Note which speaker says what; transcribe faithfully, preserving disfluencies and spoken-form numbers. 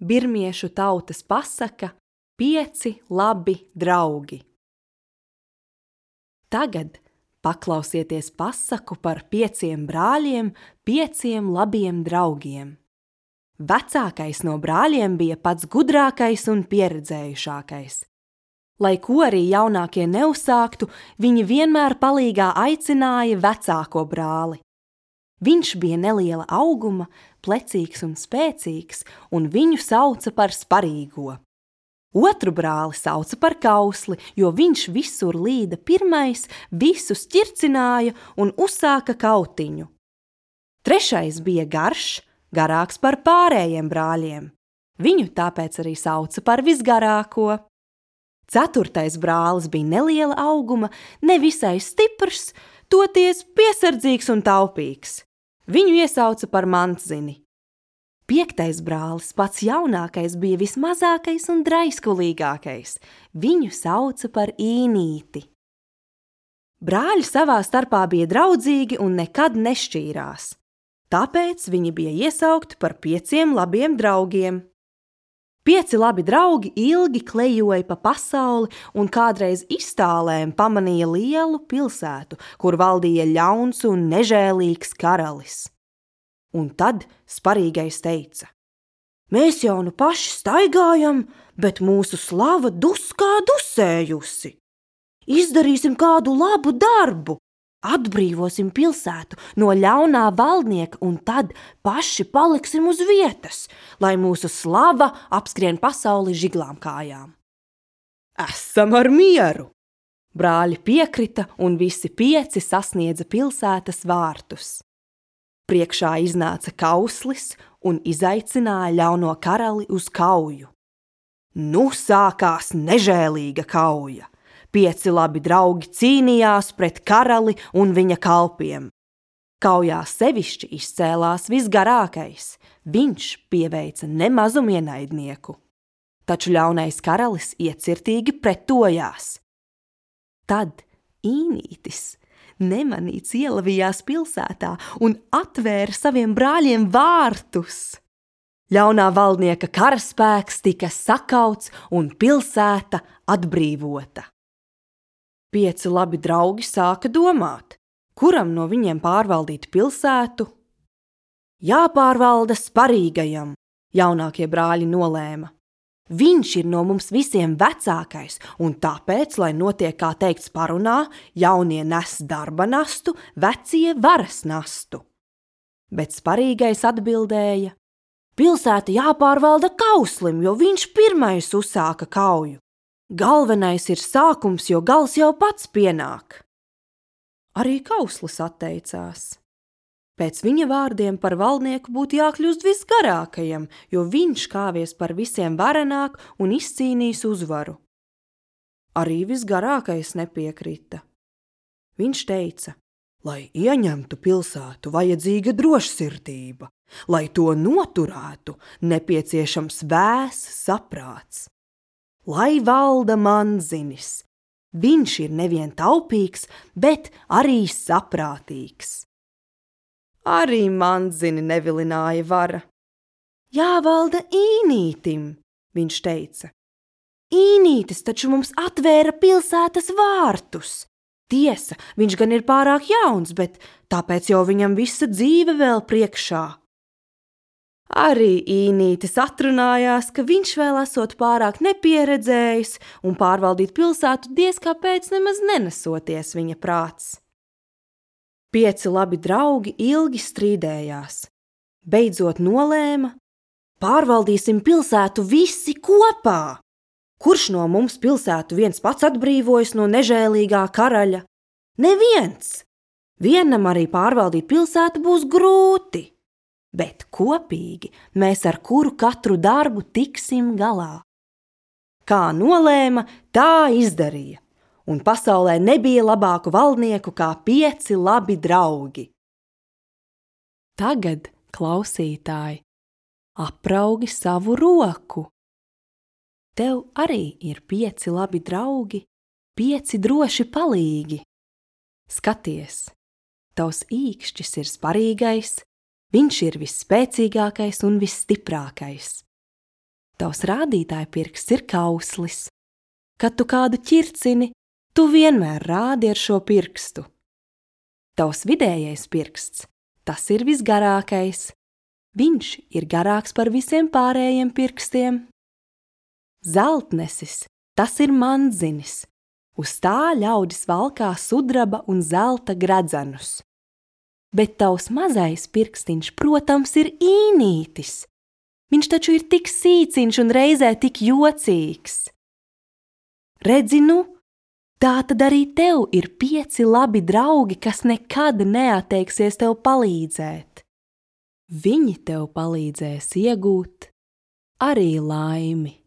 Speaker 1: birmiešu tautas pasaka Pieci labi draugi. Tagad paklausieties pasaku par pieciem brāļiem, pieciem labiem draugiem. Vecākais no brāļiem bija pats gudrākais un pieredzējušākais. Lai ko arī jaunākie neuzsāktu, viņi vienmēr palīgā aicināja vecāko brāli. Viņš bija neliela auguma, plecīgs un spēcīgs, un viņu sauca par sparīgo. Otru brāli sauca par kausli, jo viņš visur līda pirmais, visus ķircināja un uzsāka kautiņu. Trešais bija garš, garāks par pārējiem brāļiem. Viņu tāpēc arī sauca par visgarāko. Ceturtais brālis bija neliela auguma, nevisai stiprs, toties piesardzīgs un taupīgs. Viņu iesauca par mantzini. Piektais brālis, pats jaunākais, bija vismazākais un draiskulīgākais. Viņu sauca par īnīti. Brāļi savā starpā bija draudzīgi un nekad nešķīrās. Tāpēc viņi bija iesaukti par pieciem labiem draugiem. Pieci labi draugi ilgi klejoja pa pasauli un kādreiz iztālēm pamanīja lielu pilsētu, kur valdīja ļauns un nežēlīgs karalis. Un tad sparīgais teica: Mēs jau nu paši staigājam, bet mūsu slava duskā dusējusi. Izdarīsim kādu labu darbu, atbrīvosim pilsētu no ļaunā valdnieka un tad paši paliksim uz vietas, lai mūsu slava apskrien pasauli žiglām kājām. Esam ar mieru! Brāļi piekrita un visi pieci sasniedza pilsētas vārtus. Priekšā iznāca kauslis un izaicināja ļauno karali uz kauju. Nu sākās nežēlīga kauja. Pieci labi draugi cīnījās pret karali un viņa kalpiem. Kaujā sevišķi izcēlās visgarākais. Viņš pieveica nemazumu ienaidnieku. Taču ļaunais karalis iecirtīgi pretojās. Tad īnītis nemanīts ielavījās pilsētā un atvēra saviem brāļiem vārtus. Ļaunā valdnieka karaspēks tika sakauts un pilsēta atbrīvota. Pieci labi draugi sāka domāt, kuram no viņiem pārvaldīt pilsētu. Jāpārvalda sparīgajam, jaunākie brāļi nolēma. Viņš ir no mums visiem vecākais, un tāpēc, lai notiek, kā teikts parunā, jaunie nes darba nastu, vecie varas nastu. Bet sparīgais atbildēja: Pilsēta jāpārvalda kauslim, jo viņš pirmais uzsāka kauju. Galvenais ir sākums, jo gals jau pats pienāk. Arī kauslis atteicās. Pēc viņa vārdiem par valdnieku būtu jākļūst visgarākajam, jo viņš kāvies par visiem varenāk un izcīnīs uzvaru. Arī visgarākais nepiekrita. Viņš teica, lai ieņemtu pilsētu vajadzīga drošsirdība, lai to noturētu nepieciešams vēss saprāts. Lai valda manzinis, viņš ir nevien taupīgs, bet arī saprātīgs. Arī manzini nevilināja vara. Jāvalda īnītim, viņš teica. Īnītis taču mums atvēra pilsētas vārtus. Tiesa, viņš gan ir pārāk jauns, bet tāpēc jau viņam visa dzīve vēl priekšā. Arī īnītis atrunājās, ka viņš vēl esot pārāk nepieredzējis un pārvaldīt pilsētu diez kāpēc nemaz nenesoties viņa prāts. Pieci labi draugi ilgi strīdējās. Beidzot nolēma, pārvaldīsim pilsētu visi kopā. Kurš no mums pilsētu viens pats atbrīvojas no nežēlīgā karaļa? Neviens! Vienam arī pārvaldīt pilsētu būs grūti, bet kopīgi mēs ar kuru katru darbu tiksim galā. Kā nolēma, tā izdarīja. Un pasaulē nebija labāku valdnieku kā pieci labi draugi. Tagad, klausītāji, apraugi savu roku. Tev arī ir pieci labi draugi, pieci droši palīgi. Skaties, tavs īkšķis ir sparīgais, viņš ir visspēcīgākais un visstiprākais. Tavs rādītāja pirksts ir kauslis. Kad tu kādu ķircini, tu vienmēr rādi ar šo pirkstu. Tavs vidējais pirksts, tas ir visgarākais. Viņš ir garāks par visiem pārējiem pirkstiem. Zeltnesis, tas ir mandzinis. Uz tā ļaudis valkā sudraba un zelta gredzenus. Bet tavs mazais pirkstiņš, protams, ir īnītis. Viņš taču ir tik sīciņš un reizē tik jocīgs. Redzi nu, tā tad arī tev ir pieci labi draugi, kas nekad neatteiksies tev palīdzēt. Viņi tev palīdzēs iegūt arī laimi.